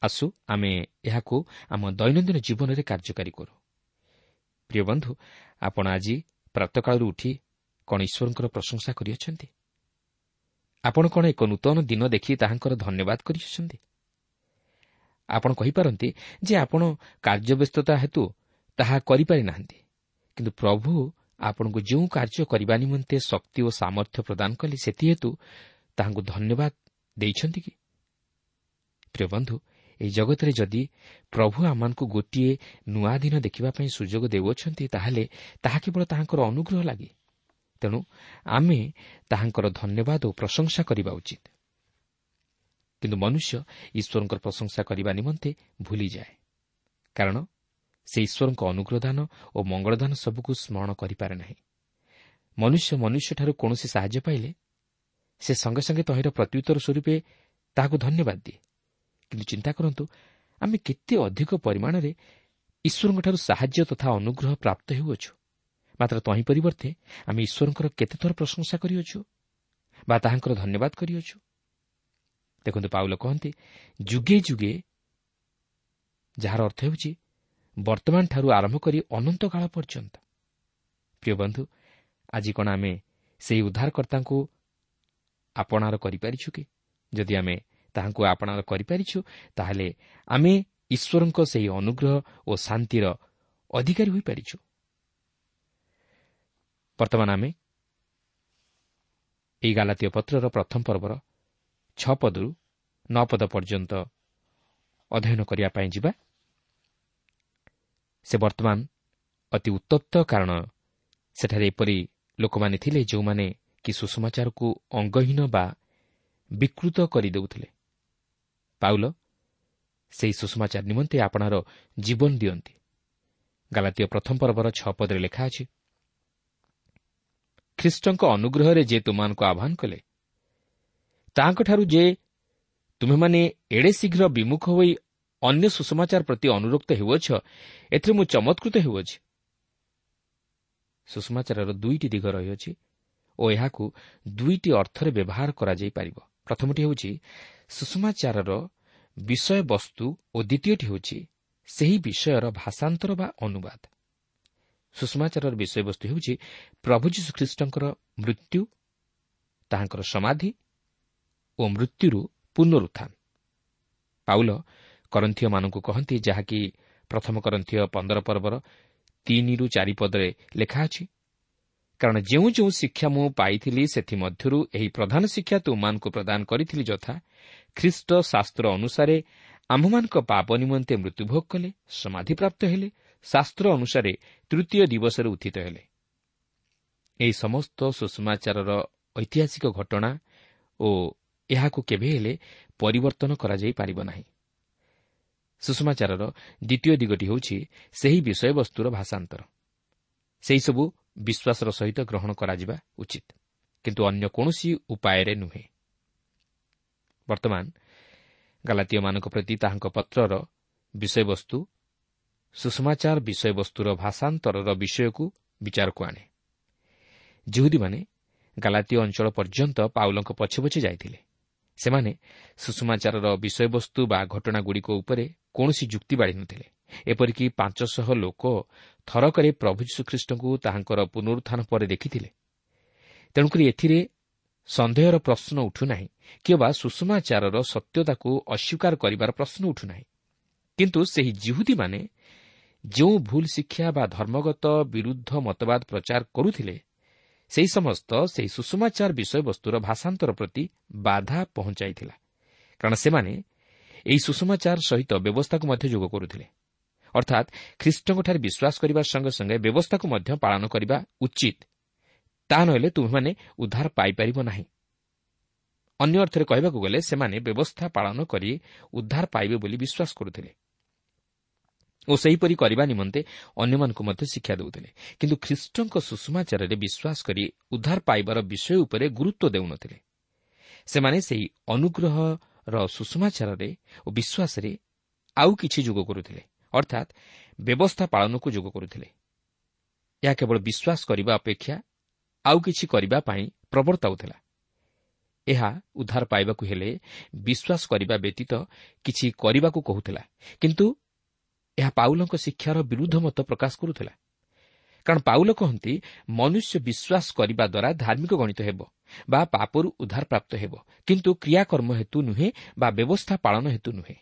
Speaker 3: ଆସୁ ଆମେ ଏହାକୁ ଆମ ଦୈନନ୍ଦିନ ଜୀବନରେ କାର୍ଯ୍ୟକାରୀ କରୁ। ପ୍ରିୟ ବନ୍ଧୁ, ଆପଣ ଆଜି ପ୍ରାତଃକାଳରୁ ଉଠି କ'ଣ ଈଶ୍ୱରଙ୍କର ପ୍ରଶଂସା କରିଅଛନ୍ତି? ଆପଣ କ'ଣ ଏକ ନୂତନ ଦିନ ଦେଖି ତାହାଙ୍କର ଧନ୍ୟବାଦ କରିଅଛନ୍ତି? ଆପଣ କହିପାରନ୍ତି ଯେ ଆପଣ କାର୍ଯ୍ୟବ୍ୟସ୍ତତା ହେତୁ ତାହା କରିପାରିନାହାନ୍ତି, କିନ୍ତୁ ପ୍ରଭୁ ଆପଣଙ୍କୁ ଯେଉଁ କାର୍ଯ୍ୟ କରିବା ନିମନ୍ତେ ଶକ୍ତି ଓ ସାମର୍ଥ୍ୟ ପ୍ରଦାନ କଲେ ସେଥିହେତୁ ତାହାଙ୍କୁ ଧନ୍ୟବାଦ ଦେଇଛନ୍ତି କି? ପ୍ରିୟ ବନ୍ଧୁ, ଏହି ଜଗତରେ ଯଦି ପ୍ରଭୁ ଆମମାନଙ୍କୁ ଗୋଟିଏ ନୂଆ ଦିନ ଦେଖିବା ପାଇଁ ସୁଯୋଗ ଦେଉଅଛନ୍ତି, ତାହେଲେ ତାହା କେବଳ ତାହାଙ୍କର ଅନୁଗ୍ରହ ଲାଗି। ତେଣୁ ଆମେ ତାହାଙ୍କର ଧନ୍ୟବାଦ ଓ ପ୍ରଶଂସା କରିବା ଉଚିତ। କିନ୍ତୁ ମନୁଷ୍ୟ ଈଶ୍ୱରଙ୍କର ପ୍ରଶଂସା କରିବା ନିମନ୍ତେ ଭୁଲିଯାଏ, କାରଣ ସେ ଈଶ୍ୱରଙ୍କ ଅନୁଗ୍ରହଦାନ ଓ ମଙ୍ଗଳଦାନ ସବୁକୁ ସ୍ମରଣ କରିପାରେ ନାହିଁ। ମନୁଷ୍ୟ ମନୁଷ୍ୟଠାରୁ କୌଣସି ସାହାଯ୍ୟ ପାଇଲେ ସେ ସଙ୍ଗେ ସଙ୍ଗେ ତହିଁର ପ୍ରତ୍ୟୁତ୍ତର ସ୍ୱରୂପେ ତାହାକୁ ଧନ୍ୟବାଦ ଦିଏ। କିନ୍ତୁ ଚିନ୍ତା କରନ୍ତୁ, ଆମେ କେତେ ଅଧିକ ପରିମାଣରେ ଈଶ୍ୱରଙ୍କଠାରୁ ସାହାଯ୍ୟ ତଥା ଅନୁଗ୍ରହ ପ୍ରାପ୍ତ ହେଉଅଛୁ, ମାତ୍ର ତହିଁ ପରିବର୍ତ୍ତେ ଆମେ ଈଶ୍ୱରଙ୍କର କେତେଥର ପ୍ରଶଂସା କରିଅଛୁ ବା ତାହାଙ୍କର ଧନ୍ୟବାଦ କରିଅଛୁ। ଦେଖନ୍ତୁ, ପାଉଲ କହନ୍ତି ଯୁଗେ ଯୁଗେ, ଯାହାର ଅର୍ଥ ହେଉଛି ବର୍ତ୍ତମାନଠାରୁ ଆରମ୍ଭ କରି ଅନନ୍ତକାଳ ପର୍ଯ୍ୟନ୍ତ। ପ୍ରିୟ ବନ୍ଧୁ, ଆଜି କ'ଣ ଆମେ ସେହି ଉଦ୍ଧାରକର୍ତ୍ତାଙ୍କୁ ଆପଣାର କରିପାରିଛୁ କି? ଯଦି ଆମେ ତାହାଙ୍କୁ ଆପଣାର କରିପାରିଛୁ, ତାହେଲେ ଆମେ ଈଶ୍ୱରଙ୍କ ସେହି ଅନୁଗ୍ରହ ଓ ଶାନ୍ତିର ଅଧିକାରୀ ହୋଇପାରିଛୁ। ବର୍ତ୍ତମାନ ଆମେ ଏହି ଗାଲାତୀୟ ପତ୍ରର ପ୍ରଥମ ପର୍ବର 6 ପଦରୁ 9 ପଦ ପର୍ଯ୍ୟନ୍ତ ଅଧ୍ୟୟନ କରିବା ପାଇଁ ଯିବା। ସେ ବର୍ତ୍ତମାନ ଅତି ଉତ୍ତପ୍ତ, କାରଣ ସେଠାରେ ଏପରି ଲୋକମାନେ ଥିଲେ ଯେଉଁମାନେ କି ସୁସମାଚାରକୁ ଅଙ୍ଗହୀନ ବା ବିକୃତ କରିଦେଉଥିଲେ। ପାଉଲ ସେହି ସୁସମାଚାର ନିମନ୍ତେ ଆପଣାର ଜୀବନ ଦିଅନ୍ତି। ଗାଲାତୀୟ ପ୍ରଥମ ପର୍ବର 6 ପଦରେ ଲେଖା ଅଛି, ଖ୍ରୀଷ୍ଟଙ୍କ ଅନୁଗ୍ରହରେ ଯେ ତୁମମାନଙ୍କୁ ଆହ୍ୱାନ କଲେ, ତାହାଙ୍କଠାରୁ ଯେ ତୁମେମାନେ ଏଡ଼େ ଶୀଘ୍ର ବିମୁଖ ହୋଇ ଅନ୍ୟ ସୁସମାଚାର ପ୍ରତି ଅନୁରକ୍ତ ହେଉଅଛ, ଏଥିରେ ମୁଁ ଚମତ୍କୃତ ହେଉଅଛି। ସୁସମାଚାରର ଦୁଇଟି ଦିଗ ରହିଅଛି ଓ ଏହାକୁ ଦୁଇଟି ଅର୍ଥରେ ବ୍ୟବହାର କରାଯାଇପାରିବ। ପ୍ରଥମଟି ହେଉଛି ସୁସମାଚାରର ବିଷୟବସ୍ତୁ ଓ ଦ୍ୱିତୀୟଟି ହେଉଛି ସେହି ବିଷୟର ଭାଷାନ୍ତର ବା ଅନୁବାଦ। ସୁସମାଚାରର ବିଷୟବସ୍ତୁ ହେଉଛି ପ୍ରଭୁ ଯୀଶୁଖ୍ରୀଷ୍ଟଙ୍କର ମୃତ୍ୟୁ, ତାହାଙ୍କର ସମାଧି ଓ ମୃତ୍ୟୁରୁ ପୁନରୁତ୍ଥାନ। ପାଉଲ କରନ୍ଥୀୟମାନଙ୍କୁ କହନ୍ତି, ଯାହାକି ପ୍ରଥମ କରନ୍ଥୀୟ 15 ପର୍ବର 3ରୁ 4 ପଦରେ ଲେଖା ଅଛି, କାରଣ ଯେଉଁ ଯେଉଁ ଶିକ୍ଷା ମୁଁ ପାଇଥିଲି ସେଥିମଧ୍ୟରୁ ଏହି ପ୍ରଧାନ ଶିକ୍ଷା ତୁମମାନଙ୍କୁ ପ୍ରଦାନ କରିଥିଲି, ଯଥା ଖ୍ରୀଷ୍ଟ ଶାସ୍ତ୍ର ଅନୁସାରେ ଆମ୍ଭମାନଙ୍କ ପାପ ନିମନ୍ତେ ମୃତ୍ୟୁଭୋଗ କଲେ, ସମାଧିପ୍ରାପ୍ତ ହେଲେ, ଶାସ୍ତ୍ର ଅନୁସାରେ ତୃତୀୟ ଦିବସରେ ଉତ୍ଥିତ ହେଲେ। ଏହି ସମସ୍ତ ସୁସମାଚାରର ଐତିହାସିକ ଘଟଣା ଓ ଏହାକୁ କେବେ ହେଲେ ପରିବର୍ତ୍ତନ କରାଯାଇପାରିବ ନାହିଁ। ସୁସମାଚାରର ଦ୍ୱିତୀୟ ଦିଗଟି ହେଉଛି ସେହି ବିଷୟବସ୍ତୁର ଭାଷାନ୍ତର। ସେହିସବୁ ବିଶ୍ୱାସର ସହିତ ଗ୍ରହଣ କରାଯିବା ଉଚିତ, କିନ୍ତୁ ଅନ୍ୟ କୌଣସି ଉପାୟରେ ନୁହେଁ। ବର୍ତ୍ତମାନ ଗାଲାତୀୟମାନଙ୍କ ପ୍ରତି ତାହାଙ୍କ ପତ୍ରର ବିଷୟବସ୍ତୁ ସୁସମାଚାର ବିଷୟବସ୍ତୁର ଭାଷାନ୍ତରର ବିଷୟକୁ ବିଚାରକୁ ଆଣେ। ଯିହୁଦୀମାନେ ଗାଲାତୀୟ ଅଞ୍ଚଳ ପର୍ଯ୍ୟନ୍ତ ପାଉଲଙ୍କ ପଛେ ପଛେ ଯାଇଥିଲେ। ସେମାନେ ସୁସମାଚାରର ବିଷୟବସ୍ତୁ ବା ଘଟଣାଗୁଡ଼ିକ ଉପରେ କୌଣସି ଯୁକ୍ତି ବାଢ଼ିନଥିଲେ। ଏପରିକି 500 ଲୋକ ଥରକରେ ପ୍ରଭୁ ଯୀଶୁଖ୍ରୀଷ୍ଟଙ୍କୁ ତାହାଙ୍କର ପୁନରୁତ୍ଥାନ ପରେ ଦେଖିଥିଲେ। ତେଣୁକରି ଏଥିରେ ସନ୍ଦେହର ପ୍ରଶ୍ନ ଉଠୁନାହିଁ କିମ୍ବା ସୁସମାଚାରର ସତ୍ୟତାକୁ ଅସ୍ୱୀକାର କରିବାର ପ୍ରଶ୍ନ ଉଠୁନାହିଁ। କିନ୍ତୁ ସେହି ଯିହୁଦୀମାନେ ଯେଉଁ ଭୁଲ ଶିକ୍ଷା ବା ଧର୍ମଗତ ବିରୁଦ୍ଧ ମତବାଦ ପ୍ରଚାର କରୁଥିଲେ, ସେହି ସମସ୍ତ ସେହି ସୁସମାଚାର ବିଷୟବସ୍ତୁର ଭାଷାନ୍ତର ପ୍ରତି ବାଧା ପହଞ୍ଚାଇଥିଲା, କାରଣ ସେମାନେ ଏହି ସୁସମାଚାର ସହିତ ବ୍ୟବସ୍ଥାକୁ ମଧ୍ୟ ଯୋଗ କରୁଥିଲେ। ଅର୍ଥାତ୍ ଖ୍ରୀଷ୍ଟଙ୍କଠାରେ ବିଶ୍ୱାସ କରିବା ସଙ୍ଗେ ସଙ୍ଗେ ବ୍ୟବସ୍ଥାକୁ ମଧ୍ୟ ପାଳନ କରିବା ଉଚିତ, ତାହା ନହେଲେ ତୁମେମାନେ ଉଦ୍ଧାର ପାଇପାରିବ ନାହିଁ। ଅନ୍ୟ ଅର୍ଥରେ କହିବାକୁ ଗଲେ ସେମାନେ ବ୍ୟବସ୍ଥା ପାଳନ କରି ଉଦ୍ଧାର ପାଇବେ ବୋଲି ବିଶ୍ୱାସ କରୁଥିଲେ। ଓ ସେହିପରି କରିବା ନିମନ୍ତେ ଅନ୍ୟମାନଙ୍କୁ ମଧ୍ୟ ଶିକ୍ଷା ଦେଉଥିଲେ, କିନ୍ତୁ ଖ୍ରୀଷ୍ଟଙ୍କ ସୁଷମାଚାରରେ ବିଶ୍ୱାସ କରି ଉଦ୍ଧାର ପାଇବାର ବିଷୟ ଉପରେ ଗୁରୁତ୍ୱ ଦେଉନଥିଲେ। ସେମାନେ ସେହି ଅନୁଗ୍ରହର ସୁଷମାଚାରରେ ଓ ବିଶ୍ୱାସରେ ଆଉ କିଛି ଯୋଗ କରୁଥିଲେ, ଅର୍ଥାତ୍ ବ୍ୟବସ୍ଥା ପାଳନକୁ ଯୋଗ କରୁଥିଲେ। ଏହା କେବଳ ବିଶ୍ୱାସ କରିବା ଅପେକ୍ଷା ଆଉ କିଛି କରିବା ପାଇଁ ପ୍ରବର୍ତ୍ତାଉଥିଲା। ଏହା ଉଦ୍ଧାର ପାଇବାକୁ ହେଲେ ବିଶ୍ୱାସ କରିବା ବ୍ୟତୀତ କିଛି କରିବାକୁ କହୁଥିଲା, କିନ୍ତୁ ଏହା ପାଉଲଙ୍କ ଶିକ୍ଷାର ବିରୁଦ୍ଧ ମତ ପ୍ରକାଶ କରୁଥିଲା। କାରଣ ପାଉଲ କହନ୍ତି, ମନୁଷ୍ୟ ବିଶ୍ୱାସ କରିବା ଦ୍ୱାରା ଧାର୍ମିକ ଗଣିତ ହେବ ବା ପାପରୁ ଉଦ୍ଧାର ପ୍ରାପ୍ତ ହେବ, କିନ୍ତୁ କ୍ରିୟାକର୍ମ ହେତୁ ନୁହେଁ ବା ବ୍ୟବସ୍ଥା ପାଳନ ହେତୁ ନୁହେଁ।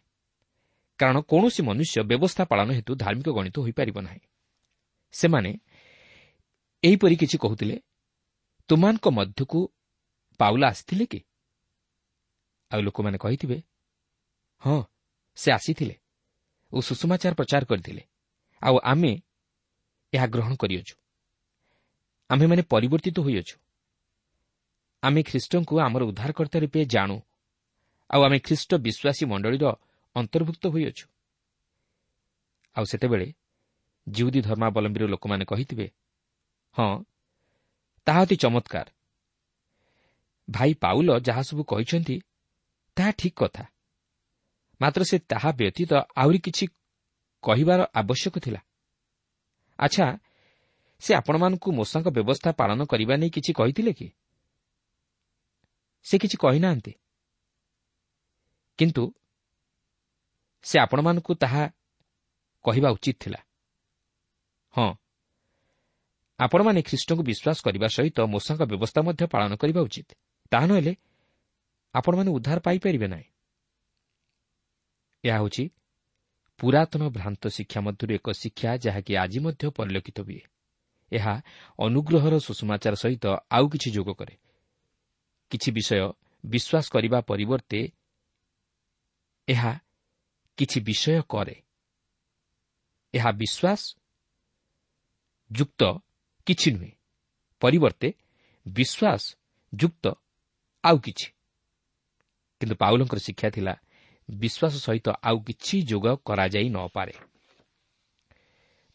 Speaker 3: କାରଣ କୌଣସି ମନୁଷ୍ୟ ବ୍ୟବସ୍ଥା ପାଳନ ହେତୁ ଧାର୍ମିକ ଗଣିତ ହୋଇପାରିବ ନାହିଁ। ସେମାନେ ଏହିପରି କିଛି କହୁଥିଲେ, ତୁମାନଙ୍କ ମଧ୍ୟକୁ ପାଉଲ ଆସିଥିଲେ କି? ଆଉ ଲୋକମାନେ କହିଥିବେ, ହଁ, ସେ ଆସିଥିଲେ ଓ ସୁଷମାଚାର ପ୍ରଚାର କରିଥିଲେ, ଆଉ ଆମେ ଏହା ଗ୍ରହଣ କରିଅଛୁ। ଆମ୍ଭେମାନେ ପରିବର୍ତ୍ତିତ ହୋଇଅଛୁ। ଆମେ ଖ୍ରୀଷ୍ଟଙ୍କୁ ଆମର ଉଦ୍ଧାରକର୍ତ୍ତା ରୂପେ ଜାଣୁ, ଆଉ ଆମେ ଖ୍ରୀଷ୍ଟ ବିଶ୍ୱାସୀ ମଣ୍ଡଳୀର ଅନ୍ତର୍ଭୁକ୍ତ ହୋଇଅଛୁ। ଆଉ ସେତେବେଳେ ଜିହୁଦୀ ଧର୍ମାବଲମ୍ବୀର ଲୋକମାନେ କହିଥିବେ, ହଁ, ତାହା ଅତି ଚମତ୍କାର। ଭାଇ ପାଉଲ ଯାହା ସବୁ କହିଛନ୍ତି ତାହା ଠିକ୍ କଥା, ମାତ୍ର ସେ ତାହା ବ୍ୟତୀତ ଆହୁରି କିଛି କହିବାର ଆବଶ୍ୟକ ଥିଲା। ଆଚ୍ଛା, ସେ ଆପଣମାନଙ୍କୁ ମୋଶାଙ୍କ ବ୍ୟବସ୍ଥା ପାଳନ କରିବା ନେଇ କିଛି କହିଥିଲେ କି? ସେ କିଛି କହିନାହାନ୍ତି, କିନ୍ତୁ ସେ ଆପଣମାନଙ୍କୁ ତାହା କହିବା ଉଚିତ ଥିଲା। ହଁ, ଆପଣମାନେ ଖ୍ରୀଷ୍ଟଙ୍କୁ ବିଶ୍ୱାସ କରିବା ସହିତ ମୋଶାଙ୍କ ବ୍ୟବସ୍ଥା ମଧ୍ୟ ପାଳନ କରିବା ଉଚିତ, ତାହା ନହେଲେ ଆପଣମାନେ ଉଦ୍ଧାର ପାଇପାରିବେ ନାହିଁ। ଏହା ହେଉଛି ପୁରାତନ ଭ୍ରାନ୍ତ ଶିକ୍ଷା ମଧ୍ୟରୁ ଏକ ଶିକ୍ଷା, ଯାହାକି ଆଜି ମଧ୍ୟ ପରିଲକ୍ଷିତ ହୁଏ। ଏହା ଅନୁଗ୍ରହର ସୁଷମାଚାର ସହିତ ଆଉ କିଛି ଯୋଗ କରେ। କିଛି ବିଷୟ ବିଶ୍ୱାସ କରିବା ପରିବର୍ତ୍ତେ ଏହା କିଛି ବିଷୟ କରେ। ଏହା ବିଶ୍ୱାସ ଯୁକ୍ତ କିଛି ନୁହେଁ, ପରିବର୍ତ୍ତେ ବିଶ୍ୱାସ ଯୁକ୍ତ ଆଉ କିଛି। କିନ୍ତୁ ପାଉଲଙ୍କର ଶିକ୍ଷା ଥିଲା ବିଶ୍ୱାସ ସହିତ ଆଉ କିଛି ଯୋଗ କରାଯାଇ ନପାରେ।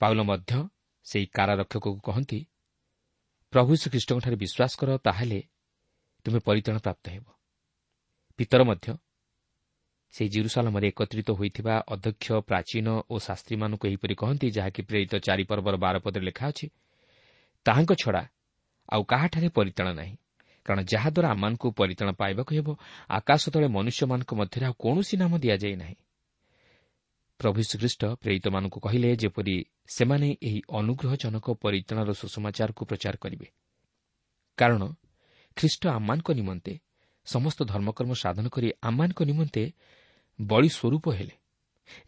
Speaker 3: ପାଉଲ ମଧ୍ୟ ସେହି କାରାରକ୍ଷକକୁ କହନ୍ତି, ପ୍ରଭୁ ଯୀଶୁଖ୍ରୀଷ୍ଟଙ୍କଠାରେ ବିଶ୍ୱାସ କର, ତାହେଲେ ତୁମେ ପରିତ୍ରାଣ ପ୍ରାପ୍ତ ହେବ। ପିତର ମଧ୍ୟ ସେହି ଜିରୁସାଲମରେ ଏକତ୍ରିତ ହୋଇଥିବା ଅଧ୍ୟକ୍ଷ, ପ୍ରାଚୀନ ଓ ଶାସ୍ତ୍ରୀମାନଙ୍କୁ ଏହିପରି କହନ୍ତି, ଯାହାକି ପ୍ରେରିତ 4 ପର୍ବର 12 ପଦରେ ଲେଖା ଅଛି, ତାହାଙ୍କ ଛଡ଼ା ଆଉ କାହାଠାରେ ପରିତ୍ରାଣ ନାହିଁ, କାରଣ ଯାହାଦ୍ୱାରା ଆମମାନଙ୍କୁ ପରିତ୍ରାଣ ପାଇବାକୁ ହେବ, ଆକାଶ ତଳେ ମନୁଷ୍ୟମାନଙ୍କ ମଧ୍ୟରେ ଆଉ କୌଣସି ନାମ ଦିଆଯାଇ ନାହିଁ। ପ୍ରଭୁ ଯୀଶୁଖ୍ରୀଷ୍ଟ ପ୍ରେରିତମାନଙ୍କୁ କହିଲେ ଯେପରି ସେମାନେ ଏହି ଅନୁଗ୍ରହଜନକ ପରିତ୍ରାଣର ସୁସମାଚାରକୁ ପ୍ରଚାର କରିବେ, କାରଣ ଖ୍ରୀଷ୍ଟ ଆମମାନଙ୍କ ନିମନ୍ତେ ସମସ୍ତ ଧର୍ମକର୍ମ ସାଧନ କରି ଆମମାନଙ୍କ ନିମନ୍ତେ ବଳି ସ୍ୱରୂପ ହେଲେ,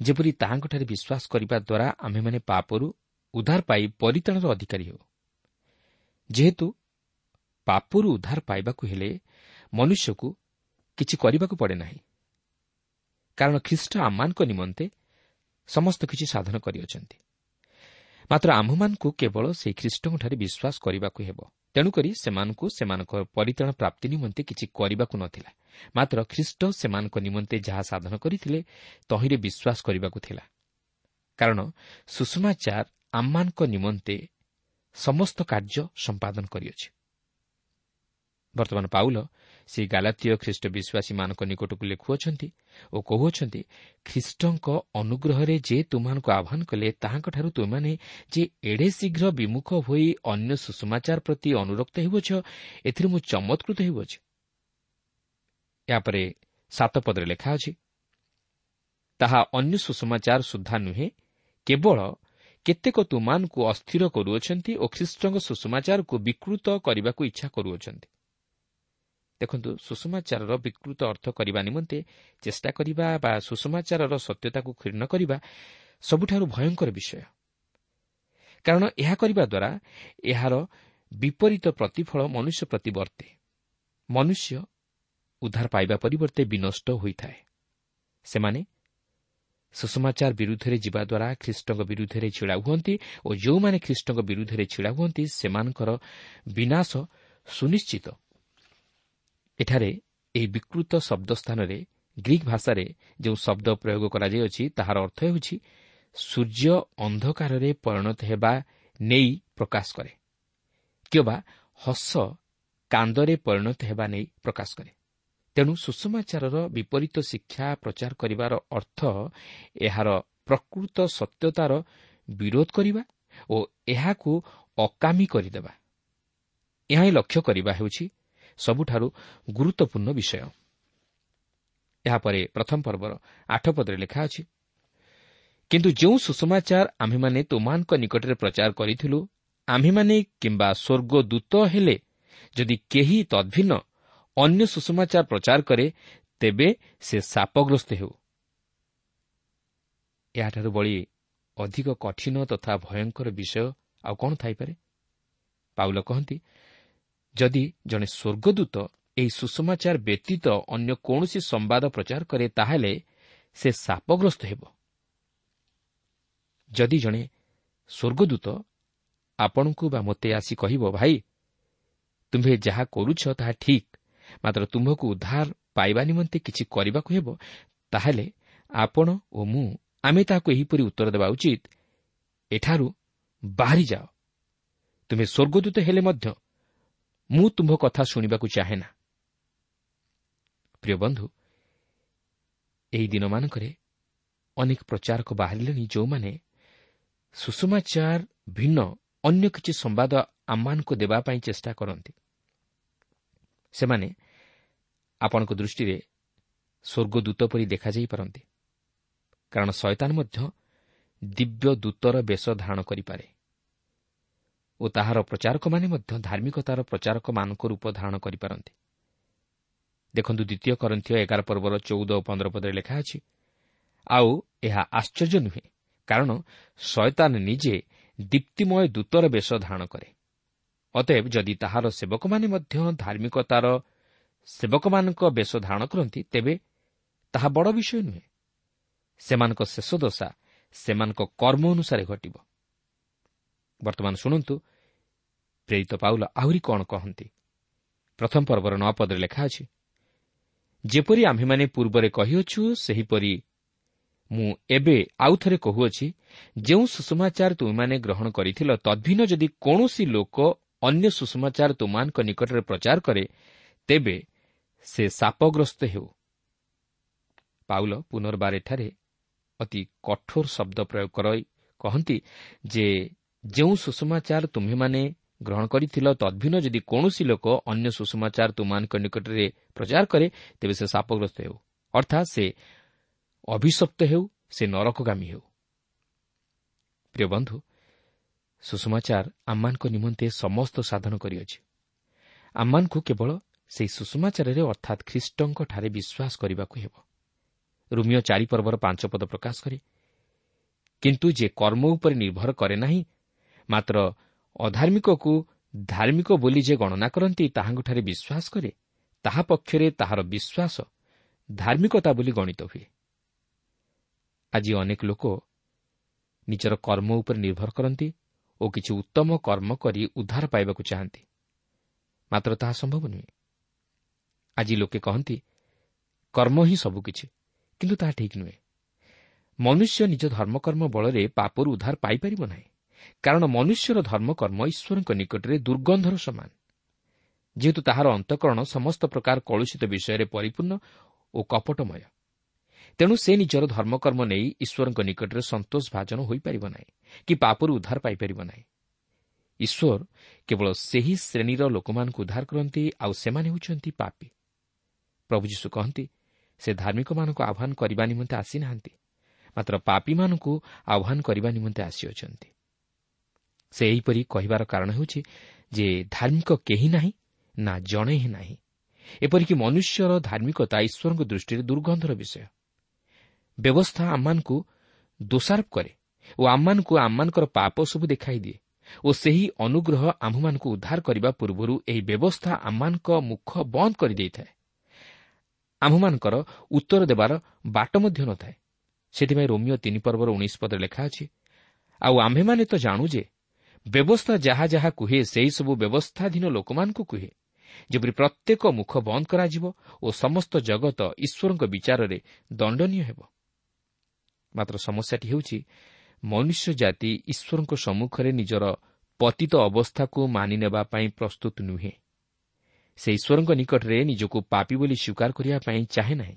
Speaker 3: ଯେପରି ତାହାଙ୍କଠାରେ ବିଶ୍ୱାସ କରିବା ଦ୍ୱାରା ଆମ୍ଭେମାନେ ପାପରୁ ଉଦ୍ଧାର ପାଇ ପରିତ୍ରାଣର ଅଧିକାରୀ ହେଉ। ଯେହେତୁ ପାପରୁ ଉଦ୍ଧାର ପାଇବାକୁ ହେଲେ ମନୁଷ୍ୟକୁ କିଛି କରିବାକୁ ପଡ଼େ ନାହିଁ, କାରଣ ଖ୍ରୀଷ୍ଟ ଆମମାନଙ୍କ ନିମନ୍ତେ ସମସ୍ତ କିଛି ସାଧନ କରିଅଛନ୍ତି। ମାତ୍ର ଆମ୍ଭମାନଙ୍କୁ କେବଳ ସେହି ଖ୍ରୀଷ୍ଟଙ୍କଠାରେ ବିଶ୍ୱାସ କରିବାକୁ ହେବ। ତେଣୁକରି ସେମାନଙ୍କୁ ସେମାନଙ୍କ ପରିତ୍ରାଣ ପ୍ରାପ୍ତି ନିମନ୍ତେ କିଛି କରିବାକୁ ନଥିଲା, ମାତ୍ର ଖ୍ରୀଷ୍ଟ ସେମାନଙ୍କ ନିମନ୍ତେ ଯାହା ସାଧନ କରିଥିଲେ ତହିଁରେ ବିଶ୍ୱାସ କରିବାକୁ ଥିଲା, କାରଣ ସୁଷମାଚାର ଆମମାନଙ୍କ ନିମନ୍ତେ ସମସ୍ତ କାର୍ଯ୍ୟ ସମ୍ପାଦନ କରିଅଛି। ବର୍ତ୍ତମାନ ପାଉଲ ସେହି ଗାଲାତୀୟ ଖ୍ରୀଷ୍ଟ ବିଶ୍ୱାସୀମାନଙ୍କ ନିକଟକୁ ଲେଖୁଅଛନ୍ତି ଓ କହୁଅଛନ୍ତି, ଖ୍ରୀଷ୍ଟଙ୍କ ଅନୁଗ୍ରହରେ ଯେ ତୁମମାନଙ୍କୁ ଆହ୍ୱାନ କଲେ, ତାହାଙ୍କଠାରୁ ତୁମେମାନେ ଯେ ଏଡ଼େ ଶୀଘ୍ର ବିମୁଖ ହୋଇ ଅନ୍ୟ ସୁଷମାଚାର ପ୍ରତି ଅନୁରକ୍ତ ହେଉଅଛ, ଏଥିରେ ମୁଁ ଚମତ୍କୃତ ହେଉଅଛି। ଏହାପରେ 7 ପଦରେ ଲେଖା ଅଛି, ତାହା ଅନ୍ୟ ସୁଷମାଚାର ସୁଦ୍ଧା ନୁହେଁ, କେବଳ କେତେକ ତୁମମାନଙ୍କୁ ଅସ୍ଥିର କରୁଅଛନ୍ତି ଓ ଖ୍ରୀଷ୍ଟଙ୍କ ସୁଷମାଚାରକୁ ବିକୃତ କରିବାକୁ ଇଚ୍ଛା କରୁଅଛନ୍ତି। ଦେଖନ୍ତୁ, ସୁଷମାଚାରର ବିକୃତ ଅର୍ଥ କରିବା ନିମନ୍ତେ ଚେଷ୍ଟା କରିବା ବା ସୁଷମାଚାରର ସତ୍ୟତାକୁ କ୍ଷୀର୍ଣ୍ଣ କରିବା ସବୁଠାରୁ ଭୟଙ୍କର ବିଷୟ, କାରଣ ଏହା କରିବା ଦ୍ୱାରା ଏହାର ବିପରୀତ ପ୍ରତିଫଳ ମନୁଷ୍ୟ ପ୍ରତି ବର୍ତ୍ତେ। ମନୁଷ୍ୟ ଉଦ୍ଧାର ପାଇବା ପରିବର୍ତ୍ତେ ବିନଷ୍ଟ ହୋଇଥାଏ। ସେମାନେ ସୁଷମାଚାର ବିରୁଦ୍ଧରେ ଯିବା ଦ୍ୱାରା ଖ୍ରୀଷ୍ଟଙ୍କ ବିରୁଦ୍ଧରେ ଛିଡ଼ା ହୁଅନ୍ତି ଓ ଯେଉଁମାନେ ଖ୍ରୀଷ୍ଟଙ୍କ ବିରୁଦ୍ଧରେ ଛିଡ଼ା ହୁଅନ୍ତି ସେମାନଙ୍କର ବିନାଶ ସୁନିଶ୍ଚିତ। ଏଠାରେ ଏହି ବିକୃତ ଶବ୍ଦ ସ୍ଥାନରେ ଗ୍ରୀକ୍ ଭାଷାରେ ଯେଉଁ ଶବ୍ଦ ପ୍ରୟୋଗ କରାଯାଇଅଛି ତାହାର ଅର୍ଥ ହେଉଛି ସୂର୍ଯ୍ୟ ଅନ୍ଧକାରରେ ପରିଣତ ହେବା ନେଇ ପ୍ରକାଶ କରେ କିମ୍ବା ହସ କାନ୍ଦରେ ପରିଣତ ହେବା ନେଇ ପ୍ରକାଶ କରେ। ତେଣୁ ସୁସମାଚାରର ବିପରୀତ ଶିକ୍ଷା ପ୍ରଚାର କରିବାର ଅର୍ଥ ଏହାର ପ୍ରକୃତ ସତ୍ୟତାର ବିରୋଧ କରିବା ଓ ଏହାକୁ ଅକାମୀ କରିଦେବା। ଏହା ହିଁ ଲକ୍ଷ୍ୟ କରିବା ହେଉଛି ସବୁଠାରୁ ଗୁରୁତ୍ୱପୂର୍ଣ୍ଣ ବିଷୟ। ଏହାପରେ ପ୍ରଥମ ପର୍ବର 8 ପଦରେ ଲେଖା ଅଛି, କିନ୍ତୁ ଯେଉଁ ସୁସମାଚାର ଆମ୍ଭେମାନେ ତୁମମାନଙ୍କ ନିକଟରେ ପ୍ରଚାର କରିଥିଲୁ, ଆମ୍ଭେମାନେ କିମ୍ବା ସ୍ୱର୍ଗଦୂତ ହେଲେ ଯଦି କେହି ତଦ୍ଭିନ୍ନ ଅନ୍ୟ ସୁସମାଚାର ପ୍ରଚାର କରେ, ତେବେ ସେ ଶାପଗ୍ରସ୍ତ ହେଉ। ଏହାଠାରୁ ବଳି ଅଧିକ କଠିନ ତଥା ଭୟଙ୍କର ବିଷୟ ଆଉ କ'ଣ ଥାଇପାରେ? ପାଉଲ କହନ୍ତି, ଯଦି ଜଣେ ସ୍ୱର୍ଗଦୂତ ଏହି ସୁସମାଚାର ବ୍ୟତୀତ ଅନ୍ୟ କୌଣସି ସମ୍ବାଦ ପ୍ରଚାର କରେ, ତାହେଲେ ସେ ଶାପଗ୍ରସ୍ତ ହେବ। ଯଦି ଜଣେ ସ୍ୱର୍ଗଦୂତ ଆପଣଙ୍କୁ ବା ମୋତେ ଆସି କହିବ, ଭାଇ, ତୁମ୍ଭେ ଯାହା କରୁଛ ତାହା ଠିକ୍, ମାତ୍ର ତୁମ୍ଭକୁ ଉଦ୍ଧାର ପାଇବା ନିମନ୍ତେ କିଛି କରିବାକୁ ହେବ, ତାହେଲେ ଆପଣ ଓ ମୁଁ ଆମେ ତାହାକୁ ଏହିପରି ଉତ୍ତର ଦେବା ଉଚିତ, ଏଠାରୁ ବାହାରି ଯାଅ, ତୁମେ ସ୍ୱର୍ଗଦୂତ ହେଲେ ମଧ୍ୟ ମୁଁ ତୁମ୍ଭ କଥା ଶୁଣିବାକୁ ଚାହେଁ ନା। ପ୍ରିୟ ବନ୍ଧୁ, ଏହି ଦିନମାନଙ୍କରେ ଅନେକ ପ୍ରଚାରକ ବାହାରିଲେଣି ଯେଉଁମାନେ ସୁସମାଚାର ଭିନ୍ନ ଅନ୍ୟ କିଛି ସମ୍ବାଦ ଆମମାନଙ୍କୁ ଦେବା ପାଇଁ ଚେଷ୍ଟା କରନ୍ତି। ସେମାନେ ଆପଣଙ୍କ ଦୃଷ୍ଟିରେ ସ୍ୱର୍ଗଦୂତ ପରି ଦେଖାଯାଇପାରନ୍ତି, କାରଣ ଶୟତାନ ମଧ୍ୟ ଦିବ୍ୟ ଦୂତର ବେଶ ଧାରଣ କରିପାରେ ଓ ତାହାର ପ୍ରଚାରକମାନେ ମଧ୍ୟ ଧାର୍ମିକତାର ପ୍ରଚାରକମାନଙ୍କ ରୂପ ଧାରଣ କରିପାରନ୍ତି। ଦେଖନ୍ତୁ, ଦ୍ୱିତୀୟ କରିନ୍ଥୀୟ 11 ପର୍ବର 14 ଓ 15 ପଦରେ ଲେଖା ଅଛି, ଆଉ ଏହା ଆଶ୍ଚର୍ଯ୍ୟ ନୁହେଁ, କାରଣ ଶୟତାନ ନିଜେ ଦୀପ୍ତିମୟ ଦୂତର ବେଶ ଧାରଣ କରେ। ଅତଏବ ଯଦି ତାହାର ସେବକମାନେ ମଧ୍ୟ ଧାର୍ମିକତାର ସେବକମାନଙ୍କ ବେଶ ଧାରଣ କରନ୍ତି, ତେବେ ତାହା ବଡ଼ ବିଷୟ ନୁହେଁ। ସେମାନଙ୍କ ଶେଷ ଦଶା ସେମାନଙ୍କ କର୍ମ ଅନୁସାରେ ଘଟିବ। ବର୍ତ୍ତମାନ ଶୁଣନ୍ତୁ ପ୍ରେରିତ ପାଉଲ ଆହୁରି କ'ଣ କହନ୍ତି। ପ୍ରଥମ ପର୍ବର 9 ପଦରେ ଲେଖା ଅଛି, ଯେପରି ଆମ୍ଭେମାନେ ପୂର୍ବରେ କହିଅଛୁ, ସେହିପରି ମୁଁ ଏବେ ଆଉ ଥରେ କହୁଅଛି, ଯେଉଁ ସୁସମାଚାର ତୁମେମାନେ ଗ୍ରହଣ କରିଥିଲ, ତଦ୍ଭିନ୍ନ ଯଦି କୌଣସି ଲୋକ ଅନ୍ୟ ସୁସମାଚାର ତୁମମାନଙ୍କ ନିକଟରେ ପ୍ରଚାର କରେ, ତେବେ ସେ ଶାପଗ୍ରସ୍ତ ହେଉ। ପାଉଲ ପୁନର୍ବାର ଏଠାରେ ଅତି କଠୋର ଶବ୍ଦ ପ୍ରୟୋଗ କରି କହନ୍ତି ଯେ ଯେଉଁ ସୁସମାଚାର ତୁମ୍ଭେମାନେ ଗ୍ରହଣ କରିଥିଲ, ତଦ୍ଭିନ୍ନ ଯଦି କୌଣସି ଲୋକ ଅନ୍ୟ ସୁସମାଚାର ତୁମମାନଙ୍କ ନିକଟରେ ପ୍ରଚାର କରେ, ତେବେ ସେ ଶାପଗ୍ରସ୍ତ ହେଉ, ଅର୍ଥାତ୍ ସେ ଅଭିଶପ୍ତ ହେଉ, ସେ ନରକଗାମୀ ହେଉ। ପ୍ରିୟ ବନ୍ଧୁ, ସୁସମାଚାର ଆମମାନଙ୍କ ନିମନ୍ତେ ସମସ୍ତ ସାଧନ କରିଅଛି। ଆମମାନଙ୍କୁ କେବଳ ସେହି ସୁସମାଚାରରେ ଅର୍ଥାତ୍ ଖ୍ରୀଷ୍ଟଙ୍କଠାରେ ବିଶ୍ୱାସ କରିବାକୁ ହେବ। ରୋମୀୟ 4 ପର୍ବର 5 ପଦ ପ୍ରକାଶ କରେ, କିନ୍ତୁ ଯେ କର୍ମ ଉପରେ ନିର୍ଭର କରେ ନାହିଁ, ମାତ୍ର ଅଧାର୍ମିକକୁ ଧାର୍ମିକ ବୋଲି ଯେ ଗଣନା କରନ୍ତି, ତାହାଙ୍କଠାରେ ବିଶ୍ୱାସ କରେ, ତାହା ପକ୍ଷରେ ତାହାର ବିଶ୍ୱାସ ଧାର୍ମିକତା ବୋଲି ଗଣିତ ହୁଏ। ଆଜି ଅନେକ ଲୋକ ନିଜର କର୍ମ ଉପରେ ନିର୍ଭର କରନ୍ତି ଓ କିଛି ଉତ୍ତମ କର୍ମ କରି ଉଦ୍ଧାର ପାଇବାକୁ ଚାହାନ୍ତି, ମାତ୍ର ତାହା ସମ୍ଭବ ନୁହେଁ। ଆଜି ଲୋକେ କହନ୍ତି କର୍ମ ହିଁ ସବୁକିଛି, କିନ୍ତୁ ତାହା ଠିକ୍ ନୁହେଁ। ମନୁଷ୍ୟ ନିଜ ଧର୍ମକର୍ମ ବଳରେ ପାପରୁ ଉଦ୍ଧାର ପାଇପାରିବ ନାହିଁ, କାରଣ ମନୁଷ୍ୟର ଧର୍ମକର୍ମ ଈଶ୍ୱରଙ୍କ ନିକଟରେ ଦୁର୍ଗନ୍ଧର ସମାନ। ଯେହେତୁ ତାହାର ଅନ୍ତଃକରଣ ସମସ୍ତ ପ୍ରକାର କଳୁଷିତ ବିଷୟରେ ପରିପୂର୍ଣ୍ଣ ଓ କପଟମୟ, ତେଣୁ ସେ ନିଜର ଧର୍ମକର୍ମ ନେଇ ଈଶ୍ୱରଙ୍କ ନିକଟରେ ସନ୍ତୋଷ ଭାଜନ ହୋଇପାରିବ ନାହିଁ କି ପାପରୁ ଉଦ୍ଧାର ପାଇପାରିବ ନାହିଁ। ଈଶ୍ୱର କେବଳ ସେହି ଶ୍ରେଣୀର ଲୋକମାନଙ୍କୁ ଉଦ୍ଧାର କରନ୍ତି, ଆଉ ସେମାନେ ହେଉଛନ୍ତି ପାପୀ। ପ୍ରଭୁ ଯୀଶୁ କହନ୍ତି, ସେ ଧାର୍ମିକମାନଙ୍କୁ ଆହ୍ୱାନ କରିବା ନିମନ୍ତେ ଆସିନାହାନ୍ତି, ମାତ୍ର ପାପୀମାନଙ୍କୁ ଆହ୍ୱାନ କରିବା ନିମନ୍ତେ ଆସିଅଛନ୍ତି। ସେ ଏହିପରି କହିବାର କାରଣ ହେଉଛି ଯେ ଧାର୍ମିକ କେହି ନାହିଁ, ନା ଜଣେ ହିଁ ନାହିଁ। ଏପରିକି ମନୁଷ୍ୟର ଧାର୍ମିକତା ଈଶ୍ୱରଙ୍କ ଦୃଷ୍ଟିରେ ଦୁର୍ଗନ୍ଧର ବିଷୟ। ବ୍ୟବସ୍ଥା ଆମମାନଙ୍କୁ ଦୋଷାରୋପ କରେ ଓ ଆମମାନଙ୍କୁ ଆମମାନଙ୍କର ପାପ ସବୁ ଦେଖାଇଦିଏ ଓ ସେହି ଅନୁଗ୍ରହ ଆମ୍ଭମାନଙ୍କୁ ଉଦ୍ଧାର କରିବା ପୂର୍ବରୁ ଏହି ବ୍ୟବସ୍ଥା ଆମମାନଙ୍କ ମୁଖ ବନ୍ଦ କରିଦେଇଥାଏ। ଆମ୍ଭମାନଙ୍କର ଉତ୍ତର ଦେବାର ବାଟ ମଧ୍ୟ ନଥାଏ। ସେଥିପାଇଁ ରୋମୀୟ 3 ପର୍ବର 19 ପଦରେ ଲେଖା ଅଛି, ଆଉ ଆମ୍ଭେମାନେ ତ ଜାଣୁ ଯେ ବ୍ୟବସ୍ଥା ଯାହା ଯାହା କୁହେ, ସେହିସବୁ ବ୍ୟବସ୍ଥାଧୀନ ଲୋକମାନଙ୍କୁ କୁହେ, ଯେପରି ପ୍ରତ୍ୟେକ ମୁଖ ବନ୍ଦ କରାଯିବ ଓ ସମସ୍ତ ଜଗତ ଈଶ୍ୱରଙ୍କ ବିଚାରରେ ଦଣ୍ଡନୀୟ ହେବ। ମାତ୍ର ସମସ୍ୟାଟି ହେଉଛି ମନୁଷ୍ୟ ଜାତି ଈଶ୍ୱରଙ୍କ ସମ୍ମୁଖରେ ନିଜର ପତିତ ଅବସ୍ଥାକୁ ମାନିନେବା ପାଇଁ ପ୍ରସ୍ତୁତ ନୁହେଁ। ସେ ଈଶ୍ୱରଙ୍କ ନିକଟରେ ନିଜକୁ ପାପୀ ବୋଲି ସ୍ୱୀକାର କରିବା ପାଇଁ ଚାହେଁ ନାହିଁ।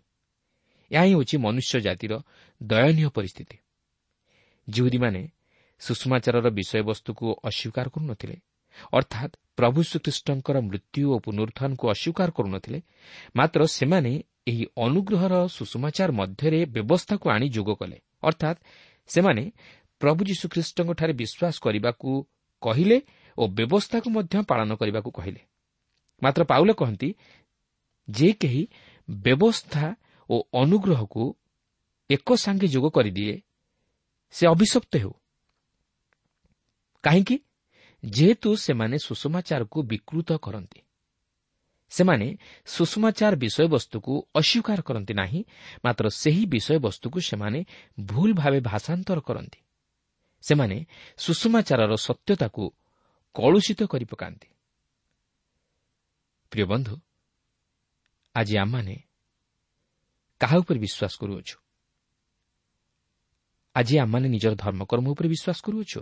Speaker 3: ଏହା ହିଁ ହେଉଛି ମନୁଷ୍ୟ ଜାତିର ଦୟନୀୟ ପରିସ୍ଥିତି। ଯିହୁଦୀମାନେ ସୁଷମାଚାରର ବିଷୟବସ୍ତୁକୁ ଅସ୍ୱୀକାର କରୁନଥିଲେ, ଅର୍ଥାତ୍ ପ୍ରଭୁ ଶ୍ରୀଖ୍ରୀଷ୍ଟଙ୍କର ମୃତ୍ୟୁ ଓ ପୁନରୁତ୍ଥାନକୁ ଅସ୍ୱୀକାର କରୁନଥିଲେ, ମାତ୍ର ସେମାନେ ଏହି ଅନୁଗ୍ରହର ସୁଷମାଚାର ମଧ୍ୟରେ ବ୍ୟବସ୍ଥାକୁ ଆଣି ଯୋଗ କଲେ। ଅର୍ଥାତ୍ ସେମାନେ ପ୍ରଭୁ ଯୀଶୁଖ୍ରୀଷ୍ଟଙ୍କଠାରେ ବିଶ୍ୱାସ କରିବାକୁ କହିଲେ ଓ ବ୍ୟବସ୍ଥାକୁ ମଧ୍ୟ ପାଳନ କରିବାକୁ କହିଲେ। ମାତ୍ର ପାଉଲ କହନ୍ତି, ଯେ କେହି ବ୍ୟବସ୍ଥା ଓ ଅନୁଗ୍ରହକୁ ଏକ ସାଙ୍ଗେ ଯୋଗ କରିଦିଏ ସେ ଅଭିଶପ୍ତ ହେଉ। କାହିଁକି? ଯେହେତୁ ସେମାନେ ସୁଷମାଚାରକୁ ବିକୃତ କରନ୍ତି। ସେମାନେ ସୁଷମାଚାର ବିଷୟବସ୍ତୁକୁ ଅସ୍ୱୀକାର କରନ୍ତି ନାହିଁ, ମାତ୍ର ସେହି ବିଷୟବସ୍ତୁକୁ ସେମାନେ ଭୁଲ ଭାବେ ଭାଷାନ୍ତର କରନ୍ତି। ସେମାନେ ସୁଷମାଚାରର ସତ୍ୟତାକୁ କଳୁଷିତ କରି ପକାନ୍ତି। ପ୍ରିୟ ବନ୍ଧୁ, ଆଜି ଆମମାନେ କାହା ଉପରେ ବିଶ୍ୱାସ କରୁଅଛୁ? ଆଜି ଆମମାନେ ନିଜର ଧର୍ମକର୍ମ ଉପରେ ବିଶ୍ୱାସ କରୁଅଛୁ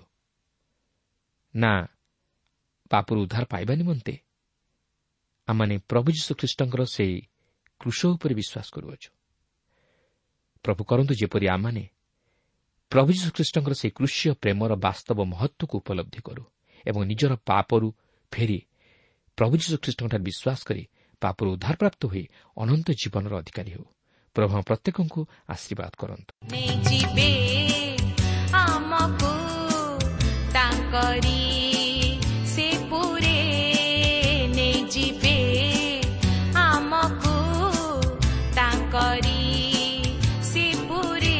Speaker 3: ନା ପାପରୁ ଉଦ୍ଧାର ପାଇବା ନିମନ୍ତେ ଆମମାନେ ପ୍ରଭୁ ଯୀଶୁଖ୍ରୀଷ୍ଟଙ୍କର ସେହି କ୍ରୁଶ ଉପରେ ବିଶ୍ୱାସ କରୁଅଛୁ? ପ୍ରଭୁ କରନ୍ତୁ ଯେପରି ଆମମାନେ ପ୍ରଭୁ ଯୀଶୁଖ୍ରୀଷ୍ଟଙ୍କର ସେହି କ୍ରୁଶୀୟ ପ୍ରେମର ବାସ୍ତବ ମହତ୍ତ୍ୱକୁ ଉପଲବ୍ଧି କରୁ ଏବଂ ନିଜର ପାପରୁ ଫେରି ପ୍ରଭୁ ଯୀଶୁଖ୍ରୀଷ୍ଟଙ୍କଠାରେ ବିଶ୍ୱାସ କରି ପାପରୁ ଉଦ୍ଧାରପ୍ରାପ୍ତ ହୋଇ ଅନନ୍ତ ଜୀବନର ଅଧିକାରୀ ହେଉ। ପ୍ରଭୁ ପ୍ରତ୍ୟେକଙ୍କୁ ଆଶୀର୍ବାଦ କରନ୍ତୁ।
Speaker 2: ଆମକୁ ତାଙ୍କରି ସେ ପୁରେ ନେଇଯିବେ, ଆମକୁ ତାଙ୍କରି ସେ ପୁରେ।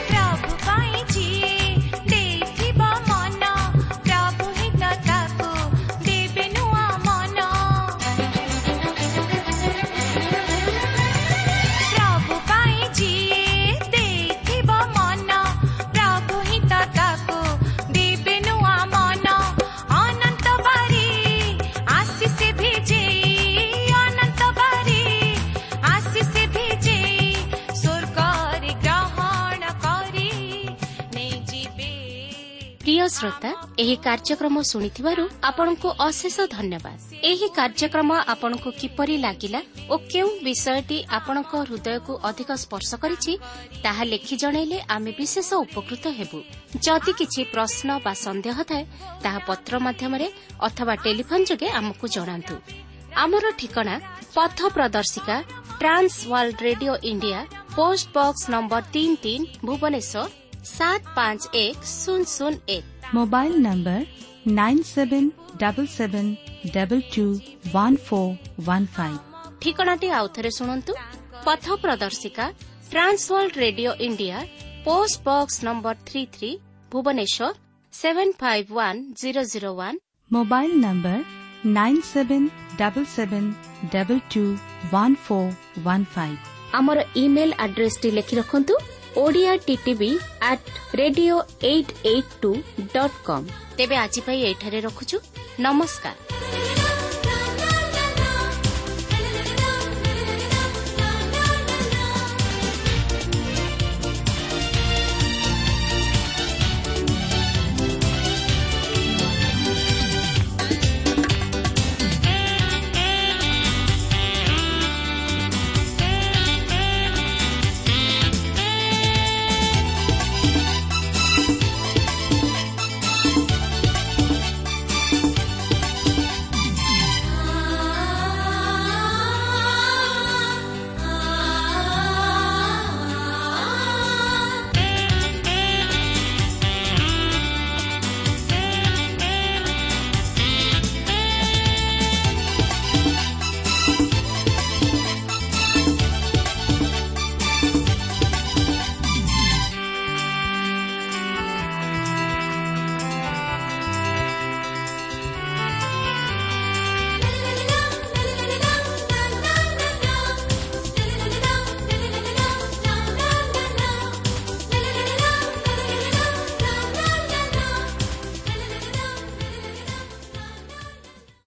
Speaker 2: ପ୍ରଭୁ ପାଇଁ ଯିଏ ଦେଇଥିବ ମନ, ପ୍ରଭୁ ହିଁ ତ ତାକୁ ଦେବେ ନୂଆ ମନ। ପ୍ରଭୁ ପାଇଁ ଯିଏ ଦେଇଥିବ ମନ, ପ୍ରଭୁ ହିଁ ତ ତାକୁ ଦେବେ ନୂଆ ମନ। ଅନନ୍ତ ବାରି ଆଶିଷ ଭିଜେଇ, ଅନନ୍ତ ବାରି ଆଶିଷ ଭିଜେଇ, ସ୍ୱର୍ଗରେ ଗ୍ରହଣ କରି ନେଇଯିବେ।
Speaker 1: ପ୍ରିୟ ଶ୍ରୋତା, ଏହି କାର୍ଯ୍ୟକ୍ରମ ଶୁଣିଥିବାରୁ ଆପଣଙ୍କୁ ଅଶେଷ ଧନ୍ୟବାଦ। ଏହି କାର୍ଯ୍ୟକ୍ରମ ଆପଣଙ୍କୁ କିପରି ଲାଗିଲା ଓ କେଉଁ ବିଷୟଟି ଆପଣଙ୍କ ହୃଦୟକୁ ଅଧିକ ସ୍ପର୍ଶ କରିଛି ତାହା ଲେଖି ଜଣାଇଲେ ଆମେ ବିଶେଷ ଉପକୃତ ହେବୁ। ଯଦି କିଛି ପ୍ରଶ୍ନ ବା ସନ୍ଦେହ ଥାଏ ତାହା ପତ୍ର ମାଧ୍ୟମରେ ଅଥବା ଟେଲିଫୋନ୍ ଯୋଗେ ଆମକୁ ଜଣାନ୍ତୁ। ଆମର ଠିକଣା ପଥ ପ୍ରଦର୍ଶିକା, trans world radio India, post box number 3 3, Bhubaneswar 751001।
Speaker 4: Mobile number 9777221415।
Speaker 1: ଠିକଣାଟି ଆଉଥରେ ଶୁଣନ୍ତୁ। ପଥ ପ୍ରଦର୍ଶିକା, trans world radio India, post box number 33, Bhubaneswar 751001।
Speaker 4: Mobile number 9777221415।
Speaker 1: ଆମର ଇମେଲ୍ ଆଡ୍ରେସଟି ଲେଖି ରଖନ୍ତୁ, Odia TTV at radio 882.com। ତେବେ ଆଜି ପାଇଁ ଏଇଠାରେ ରଖୁଛୁ। ନମସ୍କାର।